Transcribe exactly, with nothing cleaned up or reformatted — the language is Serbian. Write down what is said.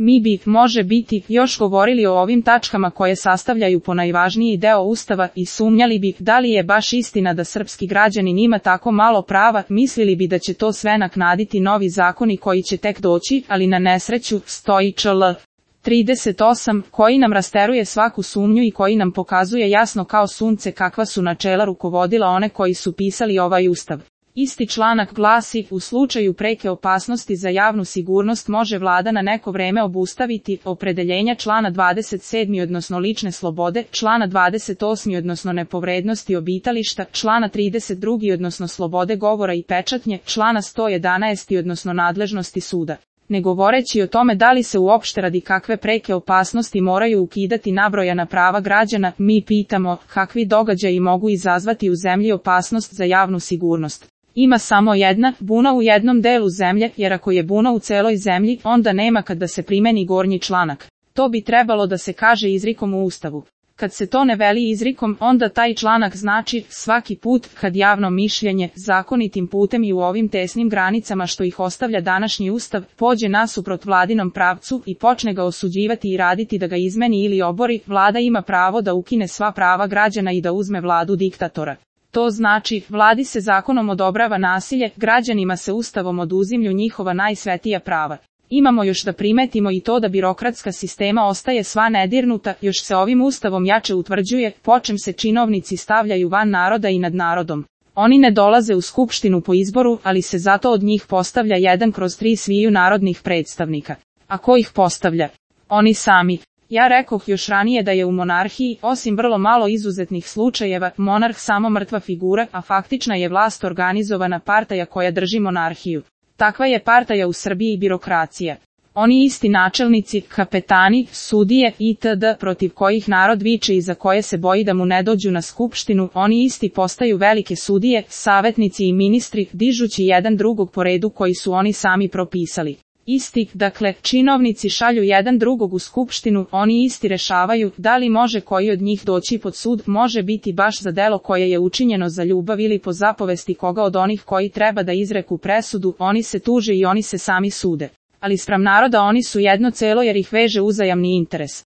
Mi bi, može biti, još govorili o ovim tačkama koje sastavljaju po najvažniji deo Ustava i sumnjali bi da li je baš istina da srpski građanin ima tako malo prava, mislili bi da će to sve naknaditi novi zakoni koji će tek doći, ali na nesreću stoji čl. trideset osam, koji nam rasteruje svaku sumnju i koji nam pokazuje jasno kao sunce kakva su načela rukovodila one koji su pisali ovaj Ustav. Isti članak glasi, u slučaju preke opasnosti za javnu sigurnost može vlada na neko vreme obustaviti opredeljenja člana dvadeset sedam odnosno lične slobode, člana dvadeset osam odnosno nepovrednosti obitališta, člana trideset dva odnosno slobode govora i pečatnje, člana sto jedanaest odnosno nadležnosti suda. Ne govoreći o tome da li se uopšte radi kakve preke opasnosti moraju ukidati nabrojana prava građana, mi pitamo kakvi događaji mogu izazvati u zemlji opasnost za javnu sigurnost. Ima samo jedna, buna u jednom delu zemlje, jer ako je buna u celoj zemlji, onda nema kad da se primeni gornji članak. To bi trebalo da se kaže izrikom u Ustavu. Kad se to ne veli izrikom, onda taj članak znači svaki put kad javno mišljenje, zakonitim putem i u ovim tesnim granicama što ih ostavlja današnji Ustav, pođe nasuprot vladinom pravcu i počne ga osuđivati i raditi da ga izmeni ili obori, vlada ima pravo da ukine sva prava građana i da uzme vladu diktatora. To znači, vladi se zakonom odobrava nasilje, građanima se Ustavom oduzimlju njihova najsvetija prava. Imamo još da primetimo i to da birokratska sistema ostaje sva nedirnuta, još se ovim Ustavom jače utvrđuje, po čem se činovnici stavljaju van naroda i nad narodom. Oni ne dolaze u skupštinu po izboru, ali se zato od njih postavlja jedan kroz tri sviju narodnih predstavnika. A ko ih postavlja? Oni sami. Ja rekoh još ranije da je u monarhiji, osim vrlo malo izuzetnih slučajeva, monarh samo mrtva figura, a faktična je vlast organizovana partaja koja drži monarhiju. Takva je partaja u Srbiji birokracija. Oni isti načelnici, kapetani, sudije itd. Protiv kojih narod viče i za koje se boji da mu ne dođu na skupštinu, oni isti postaju velike sudije, savetnici i ministri, dižući jedan drugog po redu koji su oni sami propisali. Isti, dakle, činovnici šalju jedan drugog u skupštinu, oni isti rešavaju da li može koji od njih doći pod sud, može biti baš za delo koje je učinjeno za ljubav ili po zapovesti koga od onih koji treba da izreku presudu, oni se tuže i oni se sami sude. Ali spram naroda oni su jedno celo jer ih veže uzajamni interes.